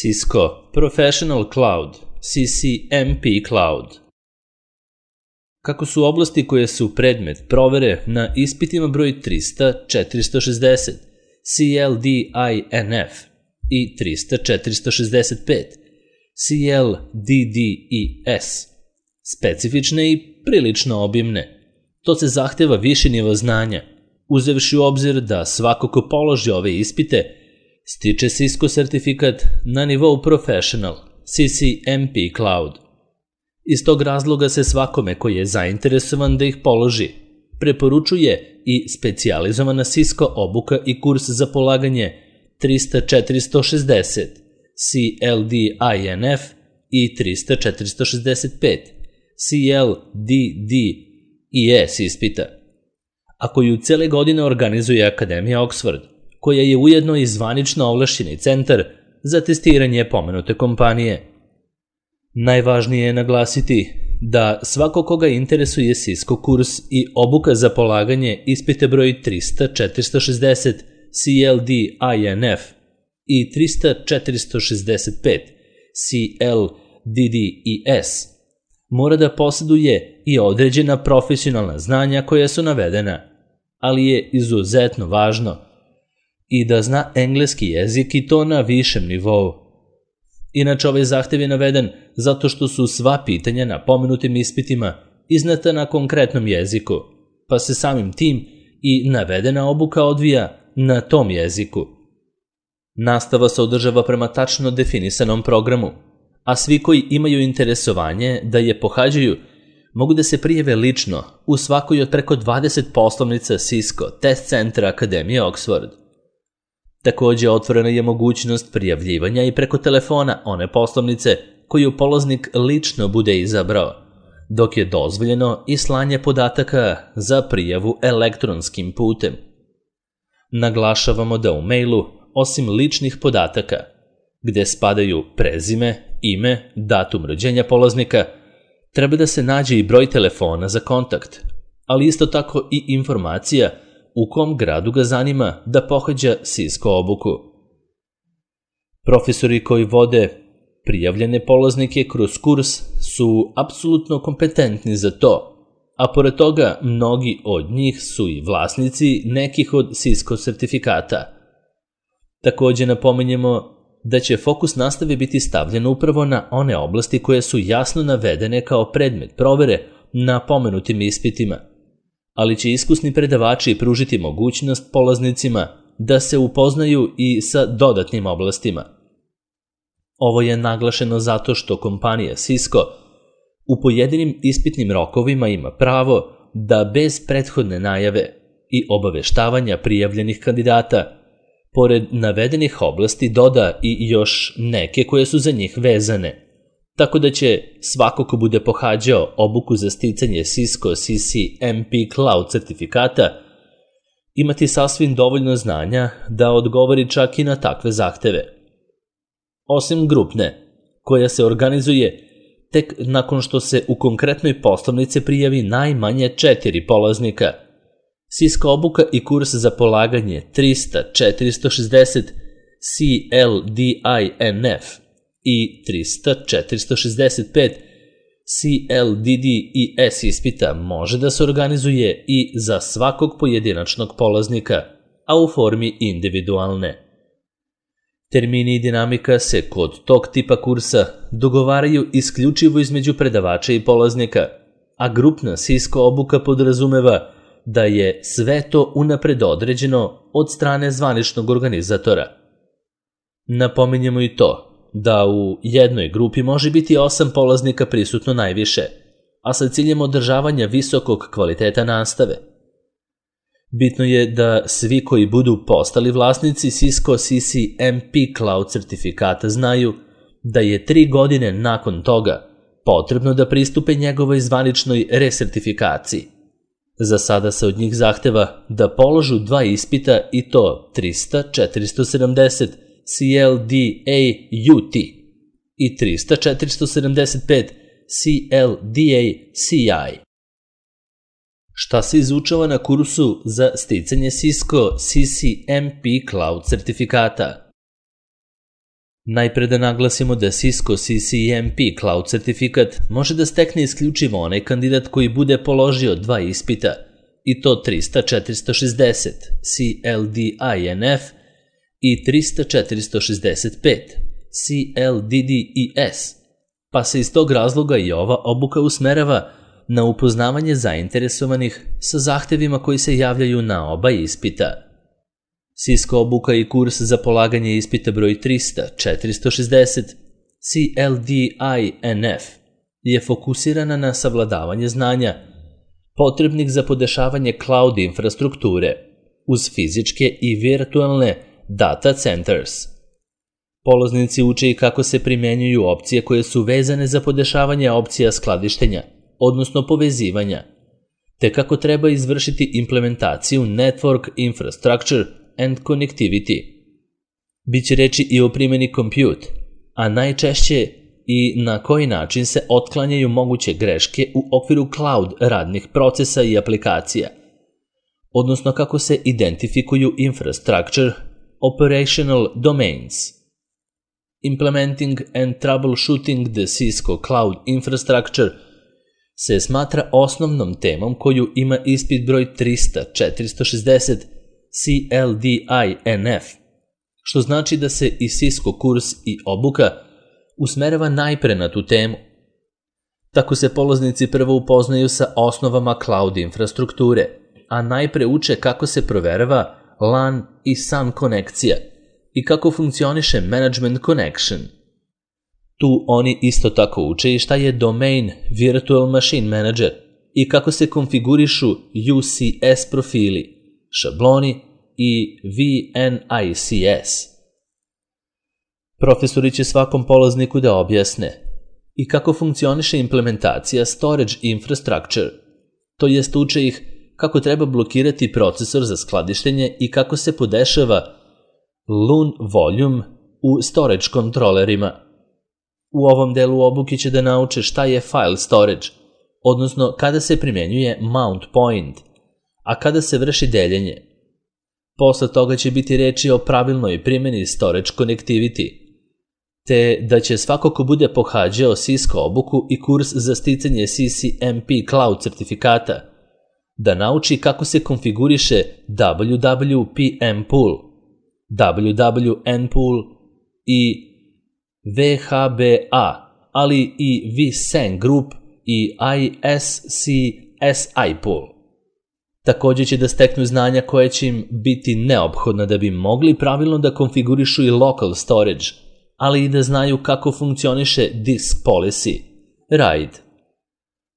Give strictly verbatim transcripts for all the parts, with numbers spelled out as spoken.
Cisco Professional Cloud, C C M P Cloud. Kako su oblasti koje su predmet provere na ispitima broj trista četiristo šezdeset, C L D I N F i trista četiristo šezdeset pet, C L D D I S, specifične i prilično obimne. To se zahteva viši nivo znanja, uzevši u obzir da svako ko položi ove ispite stiče Cisco sertifikat na nivou Professional, C C M P Cloud. Iz tog razloga se svakome koji je zainteresovan da ih položi preporučuje i specijalizovana Cisco obuka i kurs za polaganje trista četiristo šezdeset, C L D I N F i trista četiristo šezdeset pet, C L D D I S ispita, a koju cele godine organizuje Akademija Oxford, koja je ujedno i zvanično ovlašćeni centar za testiranje pomenute kompanije. Najvažnije je naglasiti da svako koga interesuje Cisco kurs i obuka za polaganje ispite broj trista četiristo šezdeset C L D I N F i trista četiristo šezdeset pet C L D D I S mora da posjeduje i određena profesionalna znanja koja su navedena, ali je izuzetno važno i da zna engleski jezik i to na višem nivou. Inače, ovaj zahtev je naveden zato što su sva pitanja na pomenutim ispitima izneta na konkretnom jeziku, pa se samim tim i navedena obuka odvija na tom jeziku. Nastava se održava prema tačno definisanom programu, a svi koji imaju interesovanje da je pohađaju mogu da se prijave lično u svakoj od preko dvadeset poslovnica Cisco test centra Akademije Oxford. Takođe, otvorena je mogućnost prijavljivanja i preko telefona one poslovnice koju polaznik lično bude izabrao, dok je dozvoljeno i slanje podataka za prijavu elektronskim putem. Naglašavamo da u mailu, osim ličnih podataka, gde spadaju prezime, ime, datum rođenja polaznika, treba da se nađe i broj telefona za kontakt, ali isto tako i informacija u kom gradu ga zanima da pohađa Cisco obuku. Profesori koji vode prijavljene polaznike kroz kurs su apsolutno kompetentni za to, a pored toga mnogi od njih su i vlasnici nekih od Cisco sertifikata. Takođe napominjemo da će fokus nastave biti stavljen upravo na one oblasti koje su jasno navedene kao predmet provere na pomenutim ispitima, ali će iskusni predavači pružiti mogućnost polaznicima da se upoznaju i sa dodatnim oblastima. Ovo je naglašeno zato što kompanija Cisco u pojedinim ispitnim rokovima ima pravo da bez prethodne najave i obaveštavanja prijavljenih kandidata pored navedenih oblasti doda i još neke koje su za njih vezane, tako da će svako ko bude pohađao obuku za sticanje Cisco C C M P Cloud sertifikata imati sasvim dovoljno znanja da odgovori čak i na takve zahteve. Osim grupne, koja se organizuje tek nakon što se u konkretnoj poslovnici prijavi najmanje četiri polaznika, Cisco obuka i kurs za polaganje trista četiristo šezdeset C L D I N F i trista četiristo šezdeset pet C L D D I S ispita može da se organizuje i za svakog pojedinačnog polaznika, a u formi individualne. Termini i dinamika se kod tog tipa kursa dogovaraju isključivo između predavača i polaznika, a grupna Cisco obuka podrazumeva da je sve to unapred određeno od strane zvaničnog organizatora. Napominjemo i to da u jednoj grupi može biti osam polaznika prisutno najviše, a sa ciljem održavanja visokog kvaliteta nastave. Bitno je da svi koji budu postali vlasnici Cisco C C M P Cloud sertifikata znaju da je tri godine nakon toga potrebno da pristupe njegovoj zvaničnoj resertifikaciji. Za sada se od njih zahteva da položu dva ispita i to trista četiristo sedamdeset C L D A U T i trista četiristo sedamdeset pet C L D A C I. Šta se izučava na kursu za sticanje Cisco C C M P Cloud sertifikata? Najpre da naglasimo da Cisco C C M P Cloud certifikat može da stekne isključivo onaj kandidat koji bude položio dva ispita, i to trista četiristo šezdeset C L D I N F i trista četiristo šezdeset pet C L D D E S, pa se iz tog razloga i ova obuka usmerava na upoznavanje zainteresovanih sa zahtevima koji se javljaju na oba ispita. Cisco obuka i kurs za polaganje ispita broj trista četiristo šezdeset C L D I N F je fokusirana na savladavanje znanja potrebnih za podešavanje cloud infrastrukture uz fizičke i virtualne data centers. Polaznici uče i kako se primenjuju opcije koje su vezane za podešavanje opcija skladištenja, odnosno povezivanja, te kako treba izvršiti implementaciju Network Infrastructure and Connectivity. Biće reči i o primjeni compute, a najčešće i na koji način se otklanjaju moguće greške u okviru cloud radnih procesa i aplikacija, odnosno kako se identifikuju infrastructure operational domains. Implementing and troubleshooting the Cisco Cloud Infrastructure se smatra osnovnom temom koju ima ispit broj trista četiristo šezdeset C L D I N F, što znači da se i Cisco kurs i obuka usmerava najpre na tu temu. Tako se polaznici prvo upoznaju sa osnovama cloud infrastrukture, a najpre uče kako se proverava LAN i S A N konekcija i kako funkcioniše Management Connection. Tu oni isto tako uče i šta je Domain Virtual Machine Manager i kako se konfigurišu U C S profili, šabloni i V N I C S. Profesori će svakom polazniku da objasne i kako funkcioniše implementacija Storage Infrastructure, to jest uče ih kako treba blokirati procesor za skladištenje i kako se podešava L U N volume u storage kontrolerima. U ovom delu obuke će da nauče šta je file storage, odnosno kada se primenjuje mount point, a kada se vrši deljenje. Posle toga će biti reči o pravilnoj primjeni storage connectivity, te da će svako ko bude pohađao Cisco obuku i kurs za sticanje C C M P Cloud certifikata, da nauči kako se konfiguriše W W P M pool, W W N pool i V H B A, ali i vSAN group i I S C S I pool. Također će da steknu znanja koje će im biti neophodna da bi mogli pravilno da konfigurišu i local storage, ali i da znaju kako funkcioniše disk policy, RAID.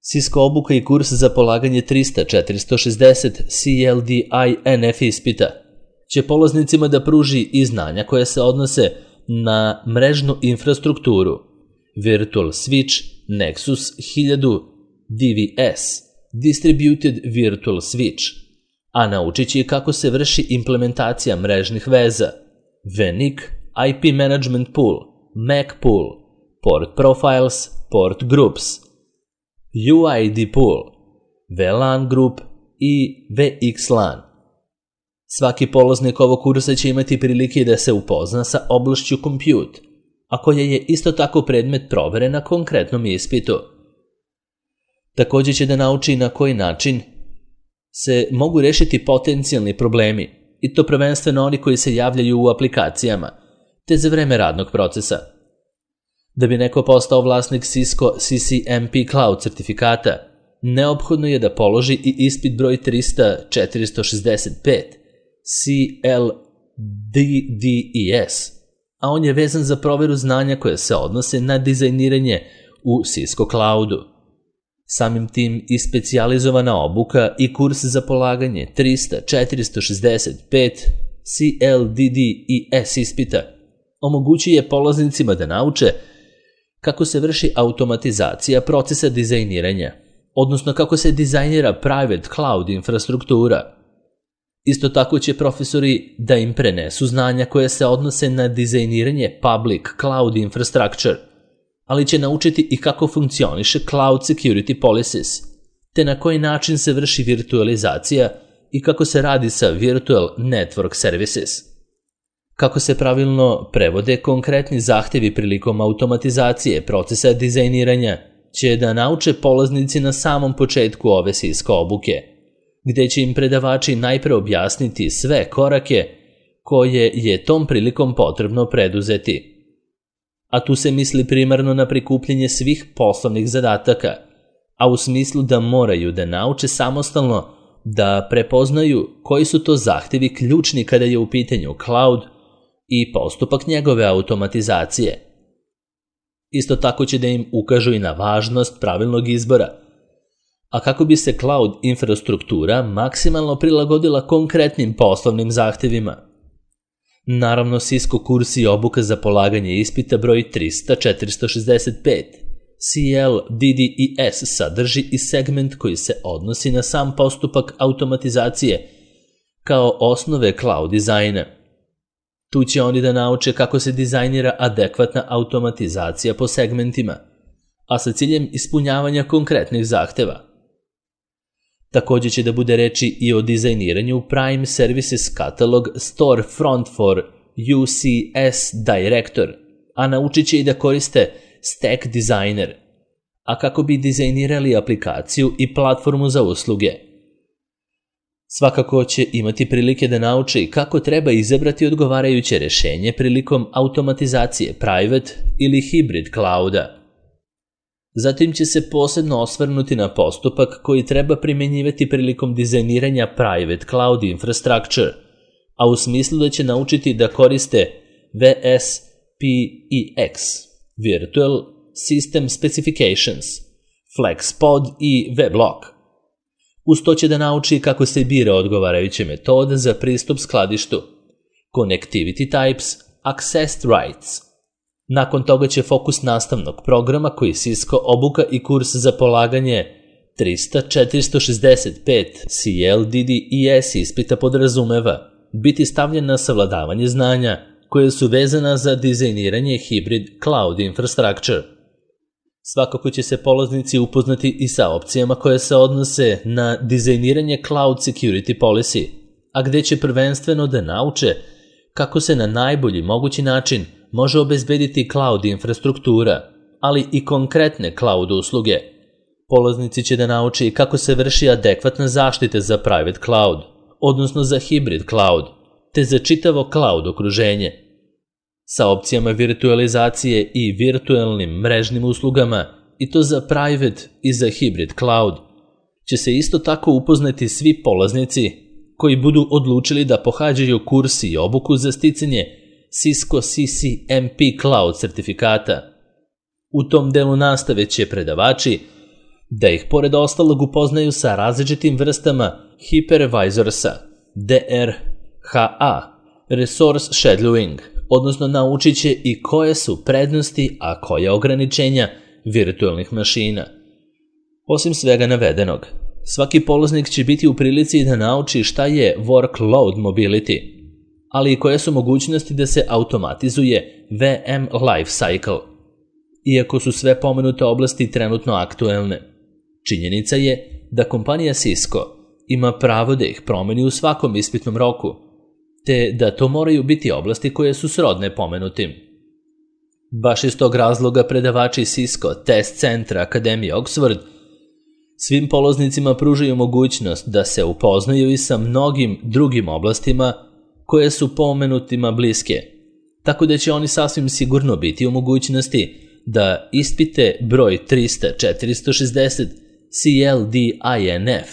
Cisco obuka i kurs za polaganje trista četiristo šezdeset C L D I N F ispita će polaznicima da pruži i znanja koje se odnose na mrežnu infrastrukturu, Virtual Switch, Nexus hiljadu, D V S, Distributed Virtual Switch, a naučit će kako se vrši implementacija mrežnih veza, V N I C, I P Management Pool, M A C Pool, Port Profiles, Port Groups, U I D Pool, V LAN Group i V X LAN. Svaki polaznik ovog kursa će imati prilike da se upozna sa oblašću compute, a koja je isto tako predmet provere na konkretnom ispitu. Također će da nauči na koji način se mogu rešiti potencijalni problemi, i to prvenstveno oni koji se javljaju u aplikacijama, te za vreme radnog procesa. Da bi neko postao vlasnik Cisco C C M P Cloud certifikata, neophodno je da položi i ispit broj trista četiristo šezdeset pet C L D D E S, a on je vezan za proveru znanja koje se odnose na dizajniranje u Cisco Cloudu. Samim tim i specijalizovana obuka i kurs za polaganje trista četiristo šezdeset pet C L D D E S ispita omogućuje polaznicima da nauče kako se vrši automatizacija procesa dizajniranja, odnosno kako se dizajnira private cloud infrastruktura. Isto tako će profesori da im prenesu znanja koje se odnose na dizajniranje public cloud infrastructure, ali će naučiti i kako funkcioniše cloud security policies, te na koji način se vrši virtualizacija i kako se radi sa virtual network services. Kako se pravilno prevode konkretni zahtevi prilikom automatizacije procesa dizajniranja će da nauče polaznici na samom početku ove Cisco obuke, gde će im predavači najpre objasniti sve korake koje je tom prilikom potrebno preduzeti. A tu se misli primarno na prikupljanje svih poslovnih zadataka, a u smislu da moraju da nauče samostalno da prepoznaju koji su to zahtevi ključni kada je u pitanju cloud i postupak njegove automatizacije. Isto tako će da im ukažu i na važnost pravilnog izbora, a kako bi se cloud infrastruktura maksimalno prilagodila konkretnim poslovnim zahtevima. Naravno, Cisco kurs i obuka za polaganje ispita broj trista četiristo šezdeset pet, C L D D I S, sadrži i segment koji se odnosi na sam postupak automatizacije kao osnove cloud dizajna. Tu će oni da nauče kako se dizajnira adekvatna automatizacija po segmentima, a sa ciljem ispunjavanja konkretnih zahteva. Također će da bude reči i o dizajniranju Prime Services Catalog Storefront for U C S Director, a naučit će i da koriste Stack Designer, a kako bi dizajnirali aplikaciju i platformu za usluge. Svakako će imati prilike da nauče i kako treba izabrati odgovarajuće rešenje prilikom automatizacije private ili hybrid clouda. Zatim će se posebno osvrnuti na postupak koji treba primenjivati prilikom dizajniranja private cloud infrastructure, a u smislu da će naučiti da koriste V S P E X, Virtual System Specifications, FlexPod i Weblog. Uz to će da nauči kako se bira odgovarajuće metode za pristup skladištu, Connectivity Types, Access Rights. Nakon toga će fokus nastavnog programa koji Cisco obuka i kurs za polaganje trista četiristo šezdeset pet C L D D I S ispita podrazumeva biti stavljen na savladavanje znanja koje su vezana za dizajniranje hybrid cloud infrastructure. Svakako će se polaznici upoznati i sa opcijama koje se odnose na dizajniranje cloud security policy, a gde će prvenstveno da nauče kako se na najbolji mogući način može obezbediti cloud infrastruktura, ali i konkretne cloud usluge. Polaznici će da nauče i kako se vrši adekvatna zaštita za private cloud, odnosno za hybrid cloud, te za čitavo cloud okruženje. Sa opcijama virtualizacije i virtualnim mrežnim uslugama, i to za private i za hybrid cloud, će se isto tako upoznati svi polaznici koji budu odlučili da pohađaju kurs i obuku za sticanje Cisco C C M P Cloud sertifikata. U tom delu nastave će predavači da ih pored ostalog upoznaju sa različitim vrstama hypervisorsa, D R H A, resource shadowing, odnosno naučit će i koje su prednosti, a koje ograničenja virtualnih mašina. Osim svega navedenog, svaki polaznik će biti u prilici da nauči šta je workload mobility, ali i koje su mogućnosti da se automatizuje V M life cycle. Iako su sve pomenute oblasti trenutno aktuelne, činjenica je da kompanija Cisco ima pravo da ih promeni u svakom ispitnom roku, te da to moraju biti oblasti koje su srodne pomenutim. Baš iz tog razloga predavači Cisco Test Centra Akademije Oxford svim polaznicima pružaju mogućnost da se upoznaju i sa mnogim drugim oblastima koje su pomenutima bliske, tako da će oni sasvim sigurno biti u mogućnosti da ispite broj trista četiristo šezdeset C L D I N F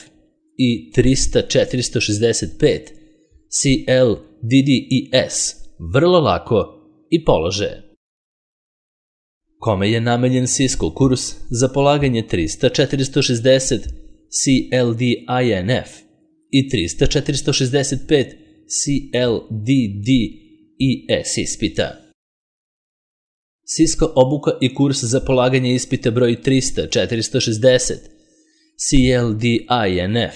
i trista četiristo šezdeset pet C L D D I S vrlo lako i polože. Kome je namenjen Cisco kurs za polaganje trista četiristo šezdeset C L D I N F i trista četiristo šezdeset pet C L D D I S ispita? Cisco obuka i kurs za polaganje ispita broj trista četiristo šezdeset C L D I N F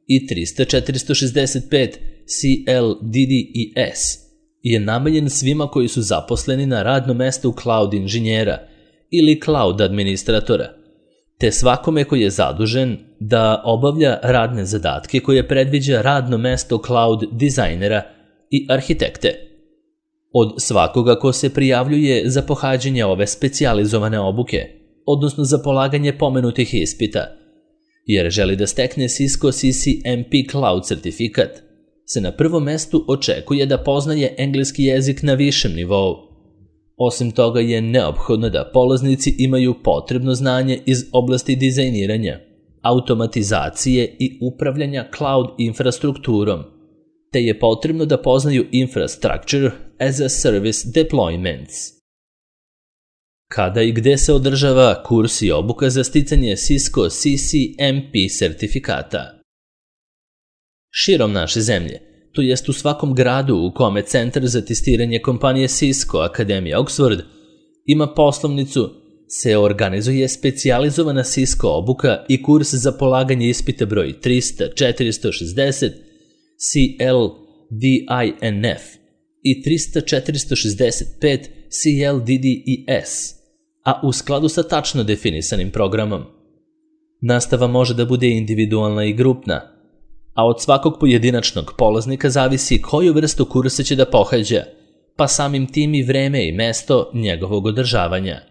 i trista četiristo šezdeset pet C L D D I S je namenjen svima koji su zaposleni na radnom mestu cloud inženjera ili cloud administratora, te svakome koji je zadužen da obavlja radne zadatke koje predviđa radno mesto cloud dizajnera i arhitekte. od svakoga ko se prijavljuje za pohađanje ove specijalizovane obuke, odnosno za polaganje pomenutih ispita, jer želi da stekne Cisco C C M P Cloud sertifikat, se na prvom mestu očekuje da poznaje engleski jezik na višem nivou. Osim toga je neophodno da polaznici imaju potrebno znanje iz oblasti dizajniranja, automatizacije i upravljanja cloud infrastrukturom, te je potrebno da poznaju Infrastructure as a Service Deployments. Kada i gde se održava kurs i obuka za sticanje Cisco C C M P sertifikata? Širom naše zemlje, to jest u svakom gradu u kome Centar za testiranje kompanije Cisco Akademija Oxford ima poslovnicu, se organizuje specijalizovana Cisco obuka i kurs za polaganje ispita broj trista četiristo šezdeset C L D I N F i trista četiristo šezdeset pet C L D D I S, a u skladu sa tačno definisanim programom. Nastava može da bude individualna i grupna, a od svakog pojedinačnog polaznika zavisi koju vrstu kursa će da pohađa, pa samim tim i vreme i mesto njegovog održavanja.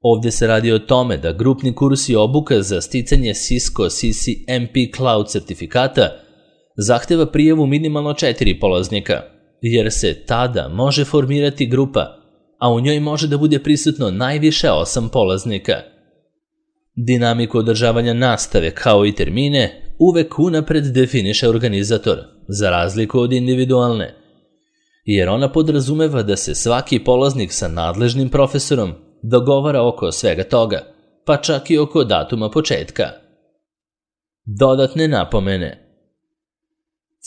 Ovde se radi o tome da grupni kurs i obuka za sticanje Cisco C C M P Cloud sertifikata zahteva prijavu minimalno četiri polaznika, jer se tada može formirati grupa, a u njoj može da bude prisutno najviše osam polaznika. Dinamiku održavanja nastave kao i termine uvek unapred definiše organizator, za razliku od individualne, jer ona podrazumeva da se svaki polaznik sa nadležnim profesorom dogovara oko svega toga, pa čak i oko datuma početka. Dodatne napomene.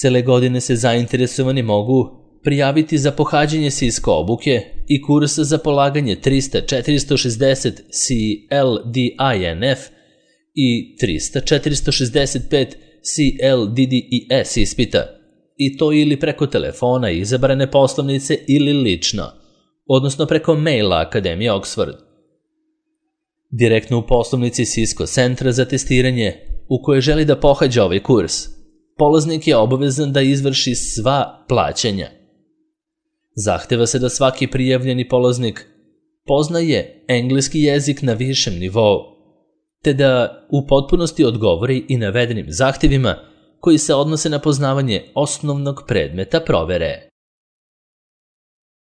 Cele godine se zainteresovani mogu prijaviti za pohađanje Cisco obuke i kursa za polaganje trista četiristo šezdeset C L D I N F i trista četiristo šezdeset pet C L D D I S ispita, i to ili preko telefona izabrane poslovnice ili lično, odnosno preko maila Akademije Oxford. Direktno u poslovnici Cisco Centra za testiranje u kojoj želi da pohađa ovaj kurs, polaznik je obavezan da izvrši sva plaćanja. Zahteva se da svaki prijavljeni polaznik poznaje engleski jezik na višem nivou, te da u potpunosti odgovori i navedenim zahtevima koji se odnose na poznavanje osnovnog predmeta provere.